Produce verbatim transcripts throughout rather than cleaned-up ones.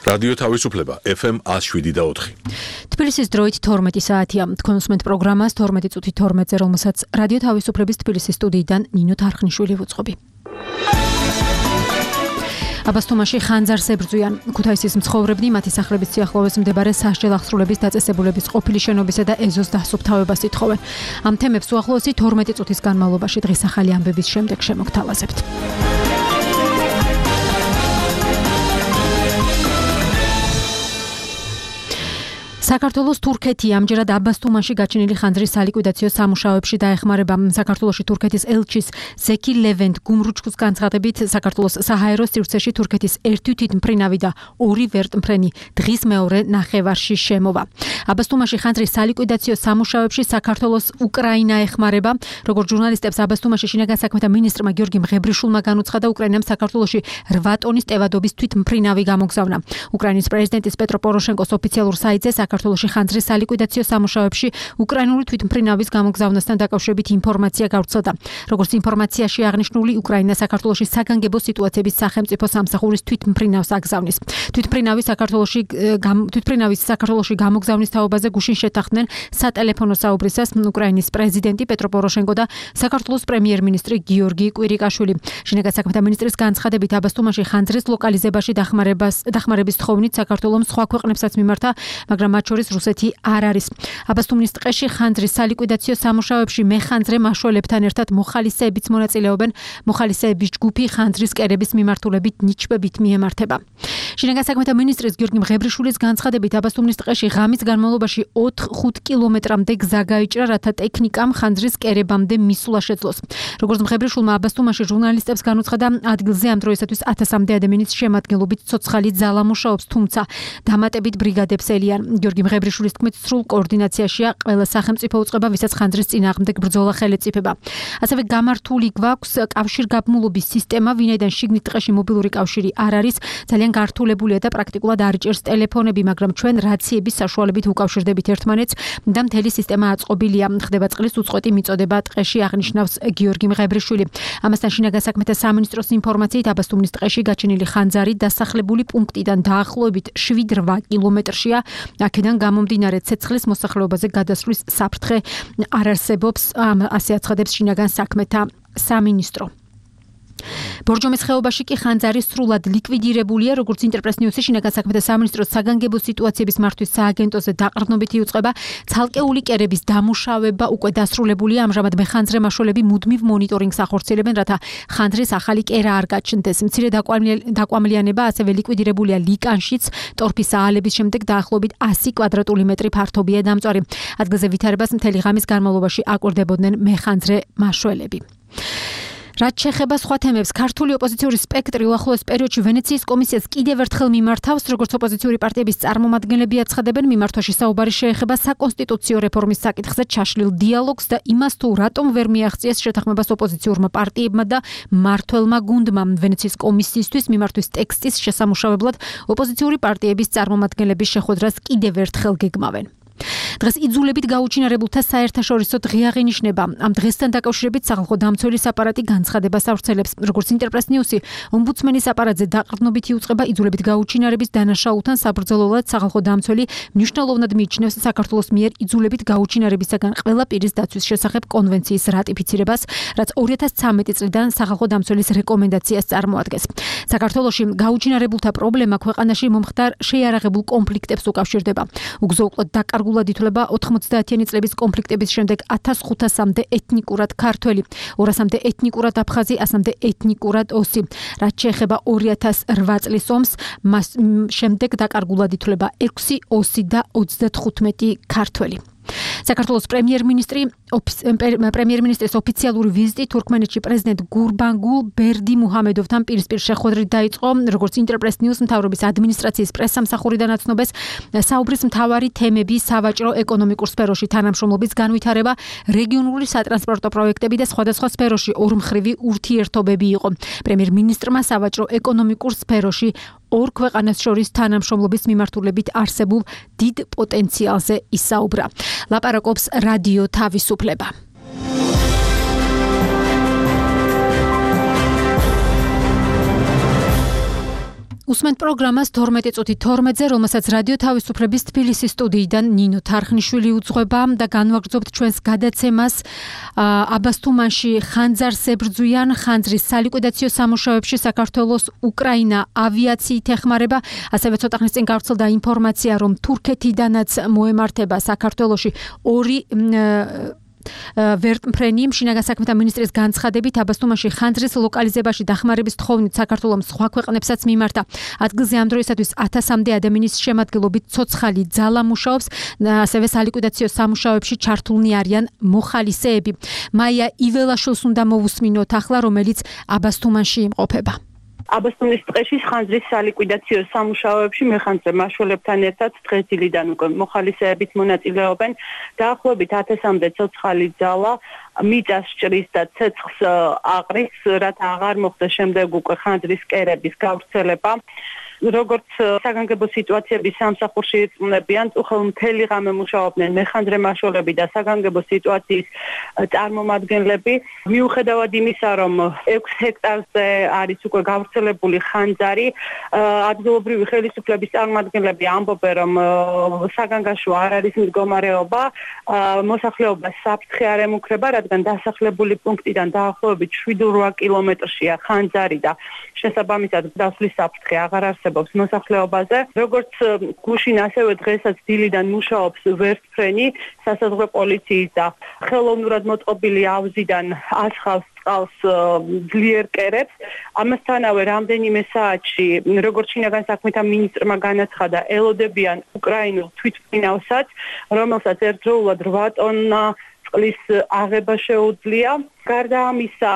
რადიო თავისუფლება ეფ ემ one oh seven და four. თბილისის დროით თორმეტი საათია. თქვენ უსმენთ პროგრამას თორმეტი წუთი თორმეტზე, რომელსაც რადიო თავისუფლების თბილისის სტუდიიდან ნინო თარხნიშვილი ვუძღობი. აბასთუმანში ხანძარს ებრძვიან. ქუთაისის მცხოვრებნი მათი სახლების სიახლოვეს მდებარე სასჯელ აღსრულების დაწესებულების ყოფილი შენობისა და ეზოს დასუფთავებას ითხოვენ. ამ თემებს უახლოესი თორმეტი წუთის განმავლობაში დღის ახალი ამბების შემდეგ შემოგთავაზებთ. საქართველოს თურქეთი ამჯერად აბასთუმანში გაჩენილი ხანძრის სალიკვიდაციო სამუშაოებში დაეხმარება. საქართველოში თურქეთის ელჩის ზექი ლევენტ გუმრუჩკუს განცხადებით, საქართველოს საჰაერო სივრცეში თურქეთის ერთი თვითმფრინავი და ორი ვერტმფრენი დღის მეორე ნახევარში შემოვა. აბასთუმანში ხანძრის სალიკვიდაციო სამუშაოებში საქართველოს უკრაინა ეხმარება. როგორც ჟურნალისტებს აბასთუმანში შინაგან საქმეთა მინისტრმა გიორგი მღებრიშვილმა განუცხადა, უკრაინამ საქართველოში რვა ტონის ტევადობის თვითმფრინავი გამოგზავნა. უკრაინის პრეზიდენტის პეტრო პოროშენკოს ოფიციალურ საიტზე საქართველოში ხანძრის სალიკვიდაციო სამუშაოებში უკრაინული თვითმფრინავის გამოგზავნასთან დაკავშირებით ინფორმაცია გავრცელდა. როგორც ინფორმაციაში აღნიშნული, უკრაინა საქართველოში საგანგებო სიტუაციების სახელმწიფო სამსახურის თვითმფრინავს აგზავნის. თვითმფრინავის საქართველოში თვითმფრინავის საქართველოში გამოგზავნის თაობაზე გუშინ შეთანხმდნენ სატელეფონო საუბრისას უკრაინის პრეზიდენტი პეტრო პოროშენკო და საქართველოს პრემიერ-მინისტრი გიორგი კვირიკაშვილი. შინაგან საქმეთა მინისტრის განცხადებით, აბასთუმანში ხანძრის ლოკალიზებაში დახმარებას დახმარების თხოვნით საქართველოს სხვა ქვეყნებსაც მიმართა, მაგრამ მათ შორის რუსეთი არ არის. აბასთუმნის ტყეში ხანძრის სალიკვიდაციო სამუშაოებში მეხანძრე მაშველებთან ერთად მოხალისეებიც მონაწილეობენ. მოხალისეების ჯგუფი ხანძრის კერების მიმართულებით ნიჩბებით მიემართება. შინაგან საქმეთა მინისტრის გიორგი მღებრიშვილის განცხადებით, აბასთუმნის ტყეში ღამის განმავლობაში ოთხ-ხუთ კილომეტრამდე გზა გაიჭრა, რათა ტექნიკამ ხანძრის კერებამდე მისვლა შეძლოს. როგორც მღებრიშვილმა აბასთუმანში ჟურნალისტებს განუცხადა, ადგილზე ამ დროისათვის ათასამდე ადამიანის შემადგენლობით ცოცხალი ძალა მუშაობს, თუმცა დამატებით ბრიგადებს ელიან. გიორგი მღებრიშვილის თქმით, სრულ კოორდინაციაშია ყველა სახელმწიფო უწყება, ვისაც ხანძრის წინააღმდეგ ბრძოლა ხელეწიფება. ასევე გამართული გვაქვს კავშირგაბმულობის სისტემა, ვინაიდან შიგნით ტყეში მობილური კავშირი არ არის, ძალიან გართულებულია და პრაქტიკულად არ იჭერს ტელეფონები, მაგრამ ჩვენ რაციების საშუალებით უკავშირდებით ერთმანეთს და მთელი სისტემა აწყობილია. ხდება წყლის უწყვეტი მიწოდება ტყეში, აღნიშნავს გიორგი მღებრიშვილი. ამასთან შინაგან საქმეთა სამინისტროს ინფორმაციით, აბასთუმნის ტყეში გაჩენილი ხანძარი დასახლებული პუნქტიდან დაახლოებით შვიდ-რვა კილომეტრშია. აქედან გამომდინარე ცეცხლის მოსახლეობაზე გადასვლის საფრთხე არ არსებობს, ასე აცხადებს შინაგან საქმეთა სამინისტრო. ბორჯომის ხეობაში კი ხანძარი სრულად ლიკვიდირებულია, როგორც ინტერპრეს ნიუსი შინაგან საქმეთა სამინისტროს საგანგებო სიტუაციების მართვის სააგენტოზე დაყრდნობით იუწყება. ცალკეული კერების დამუშავება უკვე დასრულებულია, ამჟამად მეხანძრე მაშველები მუდმივ მონიტორინგს ახორციელებენ, რათა ხანძრის ახალი კერა არ გაჩნდეს. მცირე დაკვამლიანება ასევე ლიკვიდირებულია ლიკანშიც, ტორფის აალების შემდეგ დაახლოებით ასი კვადრატული მეტრი ფართობია დამწვარი. ადგილზე ვითარებას მთელი ღამის განმავლობაში აკვირდებოდნენ მეხანძრე მაშველები. რაც შეეხება სხვა თემებს, ქართული ოპოზიციური სპექტრი უახლოეს პერიოდში ვენეციის კომისიას კიდევ ერთხელ მიმართავს, როგორც ოპოზიციური პარტიების წარმომადგენლები აცხადებენ, მიმართვაში საუბარი შეეხება საკონსტიტუციო რეფორმის საკითხზე ჩაშლილ დიალოგს და იმას, თუ რატომ ვერ მიაღწიეს შეთანხმებას ოპოზიციურმა პარტიებმა და მმართველმა გუნდმა. ვენეციის კომისიისთვის მიმართვის ტექსტის შესამუშავებლად ოპოზიციური პარტიების წარმომადგენლების შეხვედრას კიდევ ერთხელ გეგმავენ. დღეს იძულებით გაუჩინარებულთა საერთაშორისო დღე აღინიშნება. ამ დღესთან დაკავშირებით სახალხო დამცველის აპარატი განცხადებას ავრცელებს. როგორც ინტერპრეს ნიუსი, ომბუდსმენის აპარატზე დაყრდნობით იუწყება იძულებით გაუჩინარების დანაშაულთან საბრძოლველად სახალხო დამცველი მნიშვნელოვნად მიიჩნევს საქართველოს მიერ იძულებით გაუჩინარებისაგან ყველა პირის დაცვის შესახებ კონვენციის რატიფიცირებას, რაც ორი ათას ცხრამეტი წლიდან სახალხო დამცველის რეკომენდაციას წარმოადგენს. საქართველოში გაუჩინარებულთა პრობლემა ქვეყანაში მომხდარ შეიარაღებულ კონფლიქტებს უკავშირდება. უგზო-უკლოდ დაკარგულად ითვლება ოთხმოცდაათიანი წლების კონფლიქტების შემდეგ ათას ხუთასამდე ეთნიკურად ქართველი, ორასამდე ეთნიკურად აფხაზი, ასამდე ეთნიკურად ოსი. რაც შეეხება ორი ათას რვა წლის ომს, მას შემდეგ დაკარგულად ითვლება ექვსი ოსი და ოცდათხუთმეტი ქართველი. საქართველოს პრემიერ-მინისტრი პრემიერ-მინისტრის ოფიციალური ვიზიტი თურქმენეთში პრეზიდენტ გურბანგულ ბერდიმუჰამედოვთან პირისპირ შეხვედრით დაიწყო. როგორც ინტერპრეს ნიუს მთავრობის ადმინისტრაციის პრესსამსახურიდან აცნობეს, საუბრის მთავარი თემები სავაჭრო ეკონომიკურ სფეროში თანამშრომლობის განვითარება, რეგიონული სატრანსპორტო პროექტები და სხვადასხვა სფეროში ორმხრივი ურთიერთობები იყო. პრემიერ-მინისტრმა სავაჭრო ეკონომიკურ სფეროში ორ ქვეყანას შორის თანამშრომლობის მიმართულებით არსებულ დიდ პოტენციალზე ისაუბრა. ლაპარაკობს რადიო თავისუფლება. გусმენთ პროგრამას თორმეტი წუთი თორმეტზე, რომელსაც რადიო თავისუფლების თბილისის სტუდიიდან ნინო თარხნიშვილი უძღვება და განვაგრძობთ ჩვენს გადაცემას აბასთუმანში ხანძარს ებრძვიან ხანძრის სალიკვიდაციო სამუშაოებში საქართველოს უკრაინა ავიაციით ეხმარება, ასევე ცოტა ხნის წინ გავრცელდა ინფორმაცია, რომ თურქეთიდანაც მოემართება საქართველოში ორი ვერტმფრენი. შინაგან საქმეთა მინისტრის განცხადებით აბასთუმანში ხანძრის ლოკალიზებაში დახმარების თხოვნით საქართველოს სხვა ქვეყნებსაც მიმართა. ადგილზე ამ დროისათვის ათასამდე ადამიანის შემადგენლობით ცოცხალი ძალა მუშაობს, ასევე სალიკვიდაციო სამუშაოებში ჩართულნი არიან მოხალისეები. მაია იველაშვილს უნდა მოვუსმინოთ ახლა, რომელიც აბასთუმანში იმყოფება. აბასთუმნის ტყეში ხანძრის სალიკვიდაციო სამუშაოებში მეხანძრე მაშველებთან ერთად დღესდილიდან უკვე მოხალისეებით მონაწილეობენ. დაახლოებით ათასამდე ცოცხალი ძალა მიწას ჭრის და ცეცხლს აყრის, რათა აღარ მოხდეს შემდეგ უკვე ხანძრის კერების გავრცელება. როგორც საგანგებო სიტუაციების სამსახურში იწვნებიან, უხელ მთელი ღამე მუშაობდნენ მეხანძრე მაშველები და საგანგებო სიტუაციის წარმომადგენლები. მიუხედავად იმისა, რომ ექვს ჰექტარზე არის უკვე გავრცელებული ხანძარი, ადგილობრივი ხელისუფლების წარმომადგენლები ამბობენ, რომ საგანგაშო არ არის მდგომარეობა, მოსახლეობას საფრთხე არ ემუქრება, რადგან დასახლებული პუნქტიდან დაახლოებით შვიდ რვა კილომეტრშია ხანძარი და შესაბამისად დასვლის საფრთხე აღარ არსებობს მოსახლეობაზე. როგორც გუშინ, ასევე დღესაც დილიდან მუშაობს ვერტმფრენი სასაზღვრო პოლიციის და ხელოვნურად მოწყობილი ავზიდან ასხავს წყალს ძლიერ კერებს. ამასთანავე რამდენიმე საათში, როგორც შინაგან საქმეთა მინისტრმა განაცხადა, ელოდებიან უკრაინულ თვითმფრინავსაც, რომელსაც ერთდროულად რვა ტონა წყლის აღება შეუძლია. გარდა ამისა,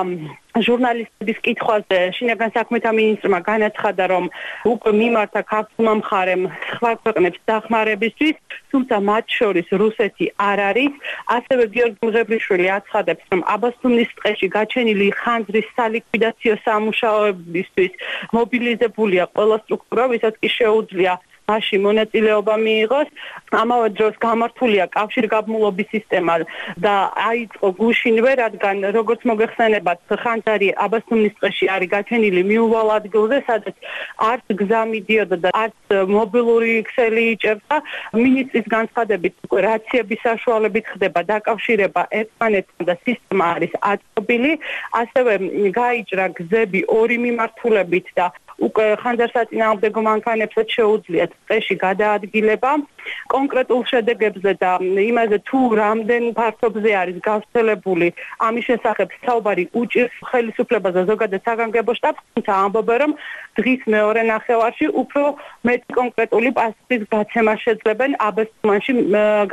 ჟურნალისტების კითხვაზე შინაგან საქმეთა მინისტრმა განაცხადა, რომ უკვე მიმართა ქართულმა მხარემ სხვა ქვეყნებს დახმარებისთვის, თუმცა მათ შორის რუსეთი არ არის. ასევე გიორგი მღებრიშვილი აცხადებს, რომ აბასთუმნის ტყეში გაჩენილი ხანძრის სალიკვიდაციო სამუშაოებისთვის მობილიზებულია ყველა სტრუქტურა, ვისაც კი შეუძლია მასში მონაწილეობა მიიღოს. ამავე დროს გამართულია კავშირგაბმულობის სისტემა და აიწყო გუშინვე, რადგან როგორც მოგეხსენებათ, ხანძარი აბასთუმნის ტყეში არის გაჩენილი მიუვალ ადგილზე, სადაც არც გზა მიდიოდა და არც მობილური ქსელი იჭერდა. მინისტრის განცხადებით, უკვე რაციების საშუალებით ხდება დაკავშირება ერთმანეთთან და სისტემა არის აწყობილი. ასევე გაიჭრა გზები ორი მიმართულებით და უკვე ხანძარსაწინააღმდეგო მანქანებსაც შეუძლიათ ტყეში გადაადგილება. კონკრეტულ შედეგებზე და იმაზე თუ რამდენ ფართობზე არის გავრცელებული ამის შესახებ საუბარი უჭირს ხელისუფლებას და ზოგადად საგანგებო შტაბს, თუმცა ამბობენ, რომ დღის მეორე ნახევარში უფრო მეტი კონკრეტული პასუხის გაცემა შეძლებენ აბასთუმანში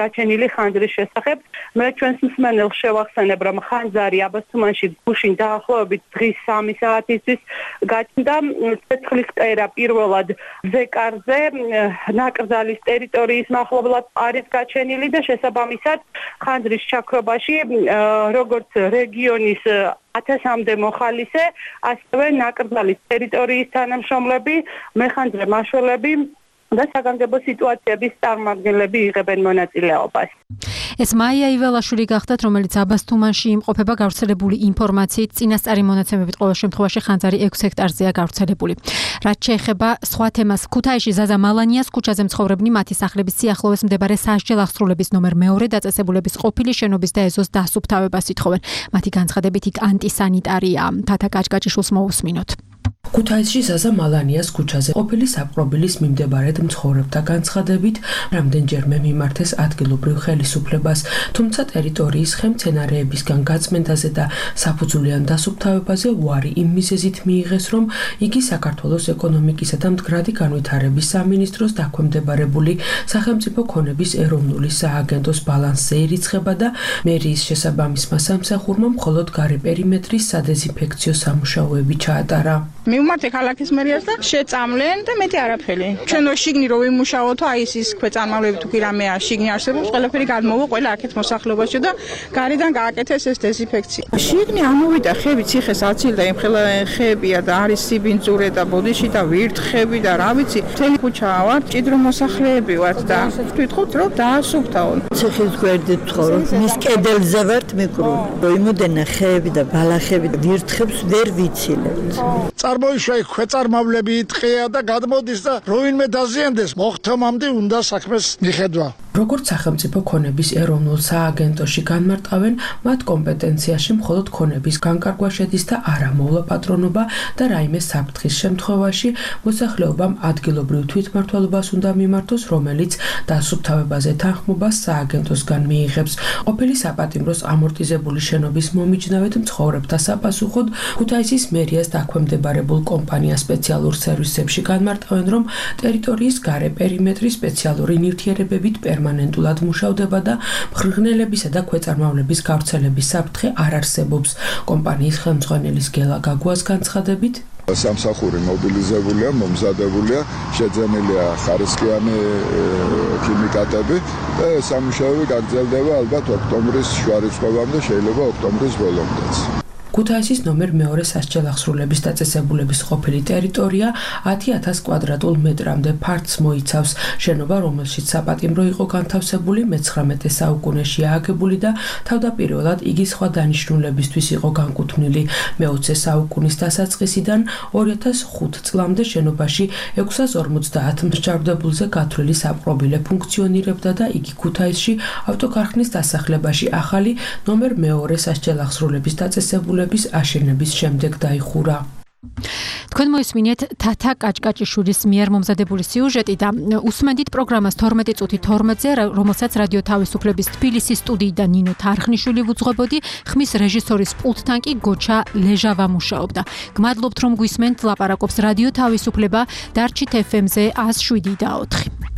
გაჩენილი ხანძრის შესახებ. მე ჩვენს მსმენელს შევახსენებ, რომ ხანძარი აბასთუმანში გუშინ დაახლოებით დღის სამი საათისთვის გაჩნდა. ცეცხლის კერა პირველად ზეკარზე ნაკრძალის ტერიტორიის მახლობლად არის გაჩენილი და შესაბამისად ხანძრის ჩაქრობაში როგორც რეგიონის ათასამდე მოხალისე, ასევე ნაკრძალის ტერიტორიის თანამშრომლები, მეხანძრე მაშველები და საგანგებო სიტუაციების წარმომადგენლები იღებენ მონაწილეობას. ეს მაია იველაშვილი გახდათ, რომელიც აბასთუმანში იმყოფება. გავრცელებული ინფორმაციით წინასწარი მონაცემებით ყოველ შემთხვევაში ხანძარი ექვს ჰექტარზეა გავრცელებული. რაც შეეხება სხვა თემას, ქუთაისში ზაზა მალანიას ქუჩაზე მცხოვრებნი მათი სახლების სიახლოვეს მდებარე სასჯელ აღსრულების ნომერ მეორე დაწესებულების ყოფილი შენობის და ეზოს დასუფთავებას ითხოვენ. მათი განცხადებით იქ ანტისანიტარია. თათა კაჭკაჭიშვილს მოусმინოთ. ქუთაისში ზაზა მალანიას ქუჩაზე ყოფილი საპყრობილის მიმდებარედ მცხოვრებთა განცხადებით რამდენჯერმე მიმართეს ადგილობრივ ხელისუფლებას, თუმცა ტერიტორიის ხემცენარეებისგან გაწმენდაზე და საფუძვლიან დასუფთავებაზე უარი იმ მიზეზით მიიღეს, რომ იგი საქართველოს ეკონომიკისა და მდგრადი განვითარების სამინისტროს დაქვემდებარებული სახელმწიფო ქონების ეროვნული სააგენტოს ბალანსზე ირიცხება და მერიის შესაბამისმა სამსახურმა მხოლოდ გარე პერიმეტრის სადეზინფექციო სამუშაოები ჩაატარა. მივმართე ქალაქის მერიას და შეწამლენ და მეტი არაფერი. ჩვენო შიგნი რო ვიმუშაოთო, აი ის ის ქვეწარმავლები თუ კი რამეა შიგნი არსებობს, ყველაფერი გადმოვა ყველა აქეთ მოსახლეობაში და გარედან გააკეთეს ეს დეზინფექცია. შიგნი ამოვიდა ხები, ციხეს აცილდა, იმ ხელა ხებია და არის სიბინძურე და ბოდიში და ვირთხები და რა ვიცი. მთელი ქუჩა ვარ, ჭიდრო მოსახლეები ვართ და ვთქვით რომ დაასუფთავონ. ციხის გვერდით ვცხოვრობ, მის კედელზე ვართ მიკრული. იმოდენა ხეები და ბალახები და ვირთხებს ვერ ვიცილებთ. წარმოიშვა იქ ქვეწარმავლები იტყია და გადმოდის და როინმე დაზიანდეს მოხთომამდე უნდა საქმეს მიხედვა. როგორც სახელმწიფო ქონების ეროვნულ სააგენტოში განმარტავენ, მათ კომპეტენციაში მხოლოდ ქონების განკარგვა შედის და არა მოვლა პატრონობა და რაიმე საფრთხის შემთხვევაში მოსახლეობამ ადგილობრივ თვითმმართველობას უნდა მიმართოს, რომელიც დასუფთავებაზე თანხმობას სააგენტოსგან მიიღებს. ყოფილი საპატიმროს ამორტიზებული შენობის მომიჯნავედ მცხოვრებთა საპასუხოდ ქუთაისის მერიას დაქვემდებარებულ კომპანია სპეციალურ სერვისებში განმარტავენ, რომ ტერიტორიის გარე პერიმეტრი სპეციალური ნივთიერებებით პერმანენტულად მუშავდება და მღრღნელებისა და ქვეწარმავლების გავრცელების საფრთხე არ არსებობს. კომპანიის ხელმძღვანელის გელა გაგუას განცხადებით, სამსახური მობილიზებულია, მომზადებულია, შეძენილია ხარისხიანი ქიმიკატები და სამუშაოები გაგრძელდება ალბათ ოქტომბრის შუა რიცხვებამდე, შეიძლება ოქტომბრის ბოლომდეც. ქუთაისის ნომერ მეორე სასჯელახსრულების დაწესებულების ყოფილი ტერიტორია ათი ათას კვადრატულ მეტრამდე ფართს მოიცავს. შენობა, რომელშიც საპატიმრო იყო განთავსებული, მეცხრამეტე საუკუნეში ააგებული და თავდაპირველად იგი სხვა დანიშნულებისთვის იყო განკუთვნილი. მეოცე საუკუნის დასაწყისიდან ორი ათას ხუთ წლამდე შენობაში ექვსას ორმოცდაათ მსჯავრდებულზე გათვლილი საპყრობილე ფუნქციონირებდა და იგი ქუთაისში ავტოქარხნის დასახლებაში ახალი ნომერ მეორე სასჯელახსრულების დაწესებულების აშენების შემდეგ დაიხურა. თქვენ მოისმინეთ თათა კაჭკაჭიშვილის მიერ მომზადებული სიუჟეტი და უსმენთ პროგრამას თორმეტი წუთი თორმეტზე, რომელსაც რადიო თავისუფლების თბილისის სტუდიიდან ნინო თარხნიშვილი ვუძღვებოდი, ხმის რეჟისორის პულტთან კი გოჩა ლეჟავა მუშაობდა. გმადლობთ რომ გვისმენთ, ლაპარაკობს რადიო თავისუფლება, დარჩით ეფ ემ-ზე ას შვიდი და ოთხი.